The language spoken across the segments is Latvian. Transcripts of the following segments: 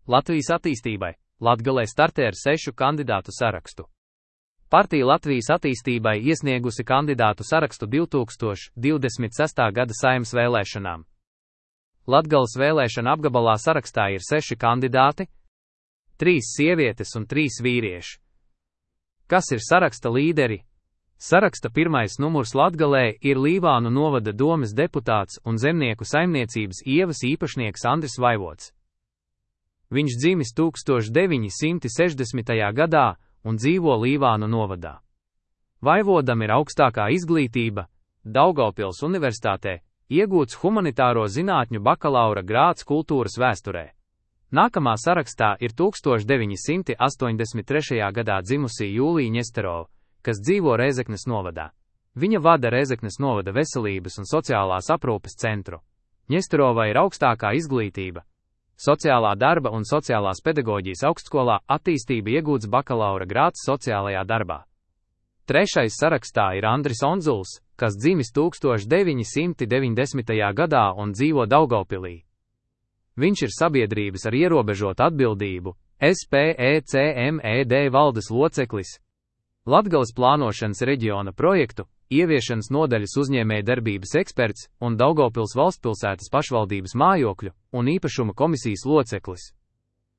Latvijas attīstībai Latgalē startē ar 6 kandidātu sarakstu. Partija Latvijas attīstībai iesniegusi kandidātu sarakstu 2026. gada Saeimas vēlēšanām. Latgales vēlēšana apgabalā sarakstā ir 6 kandidāti, 3 sievietes un 3 vīrieši. Kas ir saraksta līderi? Saraksta pirmais numurs Latgalē ir Līvānu novada domes deputāts un zemnieku saimniecības ievas īpašnieks Andris Vaivods. Viņš dzimis 1960. gadā un dzīvo Līvānu novadā. Vaivodam ir augstākā izglītība, Daugavpils Universitātē, iegūts humanitāro zinātņu bakalaura grāds kultūras vēsturē. Nākamā sarakstā ir 1983. gadā dzimusī Jūlija Ņesterova, kas dzīvo Rēzeknes novadā. Viņa vada Rēzeknes novada veselības un sociālās aprūpes centru. Ņesterovai ir augstākā izglītība, sociālā darba un sociālās pedagoģijas augstskolā attīstība iegūts bakalaura grāds sociālajā darbā. Trešais sarakstā ir Andris Onzuls, kas dzimis 1990. gadā un dzīvo Daugavpilī. Viņš ir sabiedrības ar ierobežotu atbildību, SPECMED valdes loceklis, Latgales plānošanas reģiona projektu, ieviešanas nodaļas uzņēmējdarbības eksperts un Daugavpils valstspilsētas pašvaldības mājokļu un īpašuma komisijas loceklis.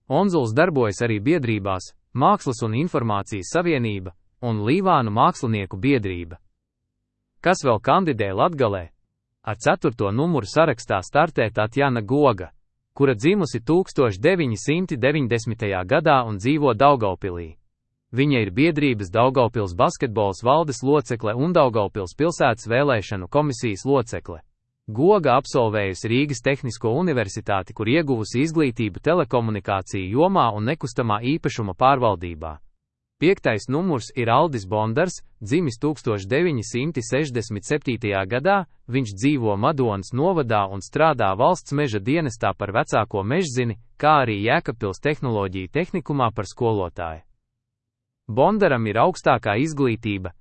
Onzuls darbojas arī biedrībās Mākslas un informācijas savienība un Līvānu mākslinieku biedrība. Kas vēl kandidē Latgalē? Ar 4. numuru sarakstā startē Tatjana Goga, kura dzimusi 1990. gadā un dzīvo Daugavpilī. Viņa ir biedrības Daugavpils basketbols valdes locekle un Daugavpils pilsētas vēlēšanu komisijas locekle. Goga absolvējusi Rīgas Tehnisko universitāti, kur ieguvusi izglītību telekomunikāciju jomā un nekustamā īpašuma pārvaldībā. 5. numurs ir Aldis Bondars, dzimis 1967. gadā, viņš dzīvo Madonas novadā un strādā valsts meža dienestā par vecāko mežzini, kā arī Jēkabpils tehnoloģiju tehnikumā par skolotāju. Bondaram ir augstākā izglītība,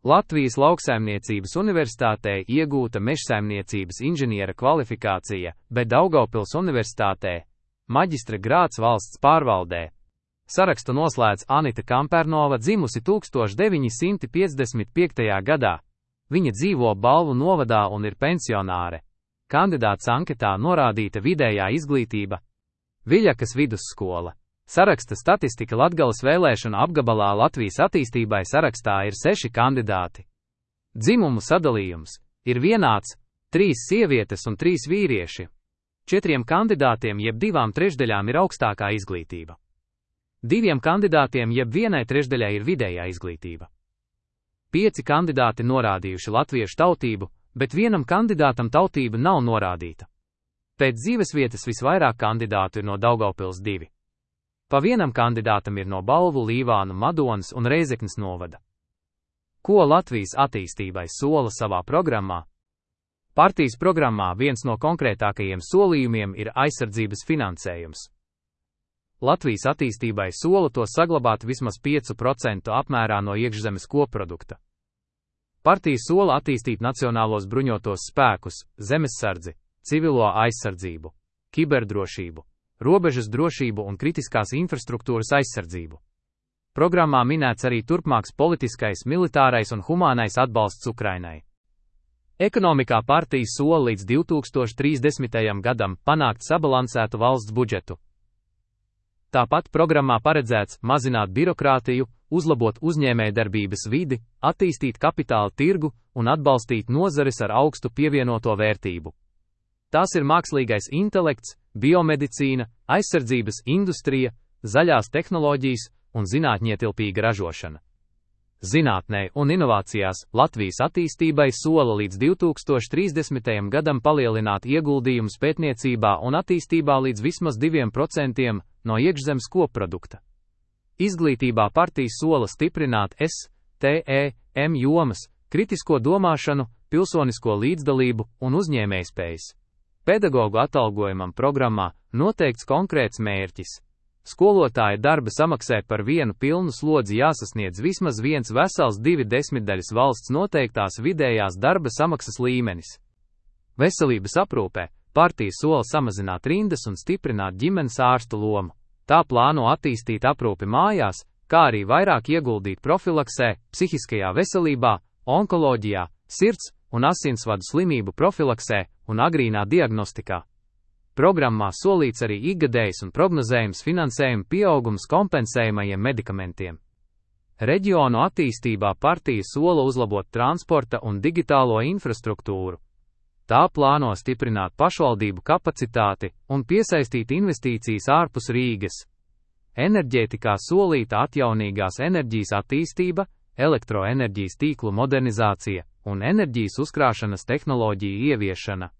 Latvijas lauksaimniecības universitātē iegūta mežsaimniecības inženiera kvalifikācija, bet Daugavpils universitātē maģistra grāds valsts pārvaldē. Sarakstu noslēdz Anita Kampernova, dzimusi 1955. gadā. Viņa dzīvo Balvu novadā un ir pensionāre. Kandidāts anketā norādīta vidējā izglītība. Viļakas vidusskola. Saraksta statistika Latgales vēlēšana apgabalā Latvijas attīstībai sarakstā ir 6 kandidāti. Dzimumu sadalījums ir vienāds - 3 sievietes un 3 vīrieši. 4 kandidātiem jeb 2/3 ir augstākā izglītība. 2 kandidātiem jeb 1/3 ir vidējā izglītība. 5 kandidāti norādījuši latviešu tautību, bet 1 kandidātam tautība nav norādīta. Pēc dzīvesvietas visvairāk kandidātu ir no Daugavpils 2. Pa 1 kandidātam ir no Balvu, Līvānu, Madonas un Rēzeknes novada. Ko Latvijas attīstībai sola savā programmā? Partijas programmā viens no konkrētākajiem solījumiem ir aizsardzības finansējums. Latvijas attīstībai sola to saglabāt vismaz 5% apmērā no iekšzemes koprodukta. Partija sola attīstīt nacionālos bruņotos spēkus, zemessardzi, civilo aizsardzību, kiberdrošību, robežas drošību un kritiskās infrastruktūras aizsardzību. Programmā minēts arī turpmāks politiskais, militārais un humānais atbalsts Ukrainai. Ekonomikā partija sola līdz 2030. gadam panākt sabalansētu valsts budžetu. Tāpat programmā paredzēts mazināt birokrātiju, uzlabot uzņēmējdarbības vidi, attīstīt kapitāla tirgu un atbalstīt nozares ar augstu pievienoto vērtību. Tās ir mākslīgais intelekts, biomedicīna, aizsardzības industrija, zaļās tehnoloģijas un zinātņietilpīga ražošana. Zinātnē un inovācijās Latvijas attīstībai sola līdz 2030. gadam palielināt ieguldījumus pētniecībā un attīstībā līdz vismaz 2% no iekšzemes koprodukta. Izglītībā partija sola stiprināt STEM jomas, kritisko domāšanu, pilsonisko līdzdalību un uzņēmējspējas. Pedagogu atalgojumam programmā noteikts konkrēts mērķis. Skolotāja darba samaksai par 1 pilnu slodzi jāsasniedz vismaz 1,2 valsts noteiktās vidējās darba samaksas līmenis. Veselības aprūpē partija sola samazināt rindas un stiprināt ģimenes ārstu lomu. Tā plāno attīstīt aprūpi mājās, kā arī vairāk ieguldīt profilaksē, psihiskajā veselībā, onkoloģijā, sirds un asinsvadu slimību profilaksē un agrīnā diagnostikā. Programmā solīts arī ikgadējs un prognozējums finansējuma pieaugums kompensējamajiem medikamentiem. Reģionu attīstībā partija sola uzlabot transporta un digitālo infrastruktūru. Tā plāno stiprināt pašvaldību kapacitāti un piesaistīt investīcijas ārpus Rīgas. Enerģētikā solīta atjaunīgās enerģijas attīstība, elektroenerģijas tīklu modernizācija un enerģijas uzkrāšanas tehnoloģiju ieviešana.